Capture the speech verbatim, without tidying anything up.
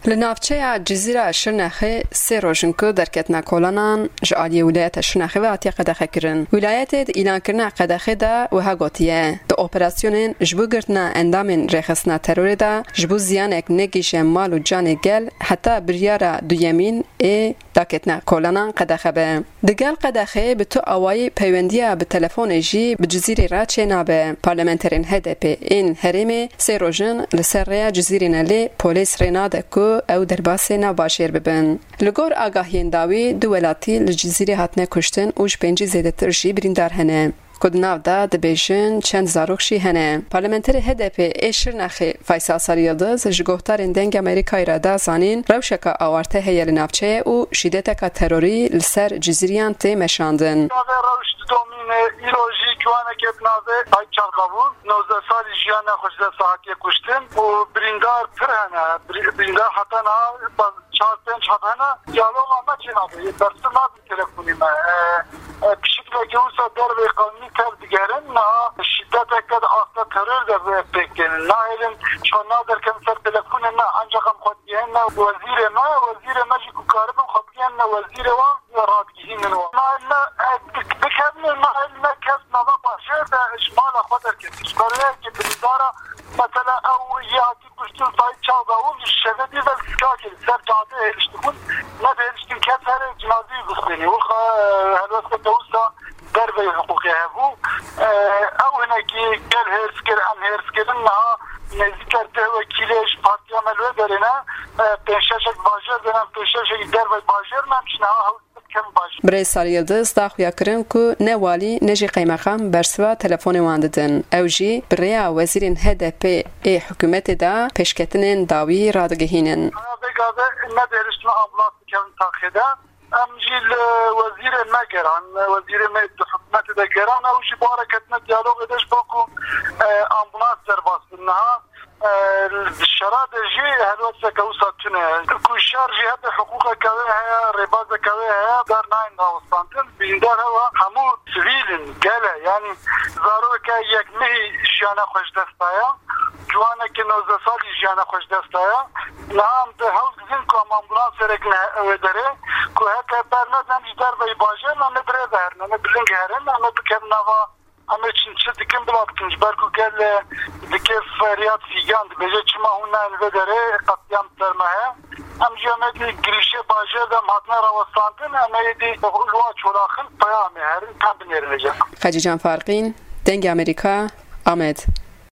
Li navçeya Cizîra Şirnexê sê roj in ku derketina kolanan ji aliyê Wîlayeta Şirnexê ve hatiye qedexekirin. Wîlayetê di îlankirina qedexê de wiha gotiye, di operasyonên ji bo girtina endamên rêxistina terorê de ji bo ziyanek negihîşe mal û canê gel heta biryara duyemîn ê daketina kolanan qedexe be. Digel qedexê bi tu awayî peywendiya bi telefonê jî bi Cizîrê re çênabe. Parlamenterên H D P ên herêmê sê roj in li ser rêya Cizîrê ne, lê polês rê nade ku ew derbasê nav bajêr bibin. Li gor agahiyên dawî du welatî li Cizîrê hatine kuştin û ji pêncî zêdetir jî birîndar hene, ku di nav de dibêjin çend zarok jî hene. Parlamenterê H D P ê Şirnexê Faysal Sariyildiz ji guhdarên Dengê Amerîkayê re da zanîn, rewşeke awarte heye li navçeyê û şîdeteka terorî li ser Cizîriyan tê meşandin. Navê rewş didomîne, îro jî ciwaneke bi navê Tayyip Çavdavû, nozdeh salî jiyana xwe ji dest hatiye kuştin û birîndar pir hene. Birî-, birîndar heta niha çar pênc hat hene. Diyaloga me çênabe, bersiv nabe. Telefonî me. E, e, pişikleke wisa derveyî qanûnî tev digerin, niha şîdeteke di asta teror de pêk tênin. Nahêlin çawa naderkevin ser telefonê me, ancaq em xwe digihîne wezîrê me, wezîrê me jî ku karibin xwe bigihîne wezîrê wan, radigihînin wan. Nahêlin me, e, dik-, bikevin, nahêlin me kes nava bajêr de ji mala xwe derketin. Ji ber wê yekê birîndara, mesela ew yê hatî kuştin Tayyip Çavdavû ji şevê dî ve li Skakê li ser cadê hêriştibûn. Ne dihêriştin kes here cinazeyê bistênî. Wilo, e, helwesteke wisa derveyî hiqûqê hebû. E, ew hinekî gel hêrs kir, em hêrs kirin. Niha nêzîker deh wekîlê ji partiya me li wê derê ne. E, pênc şeşek bajêr de ne, pênc şeşekî derveyî bajêr ne, em jî niha hewl dikevin bajêr. Birêz Sariyildiz da xuyakirin ku ne walî ne jî qeymeqam bersiva telefonê wan didin. Ew jî bi rêya wezîrên H D P ê hikûmetê de pêşketinên dawî radigihînin. Vêga ve ne dihêriştin ambulans bikevin taxê de. Em jî li wezîrê me geran, wezîrê me di hikûmetê de geran, ew jî bi wan re ketine diyalogê de ji bo ku, e, ambulans derbas bin. Niha E, di şera de jî helwesteke wisa tune. Ku şer jî hebe hiqûqeke wê heye, rêbazeke wê heye, bernayên rawestandin. Bîndar hewa hemû sivîl in, gel e. Yanî zarokeke yek mehî jiyana xwe ji dest daye. Ciwaneke nozdeh salî jiyana xwe ji dest daye. Niha em bi hewl didin ku em ambulansê re gine wê derê. Ku heke bernedin em ji derveyî bajêr ne, em ê bi rê ve herin, em ê bi ling herin, em ê bikevin nava Em ê çi, çi dikin bila bikin, ji ber ku gel, e, dike feryad fîgan, dibêje, çima hûn nayên vê derê, qetlîam ser me heye. Em jî em ê dî girîşê bajêr de em hatine rawestandin, em ê dî li wan çolaxin peyamê herin, em binêrin vêca. Xecîcan Farqîn, Dengê Amerîka, Amed.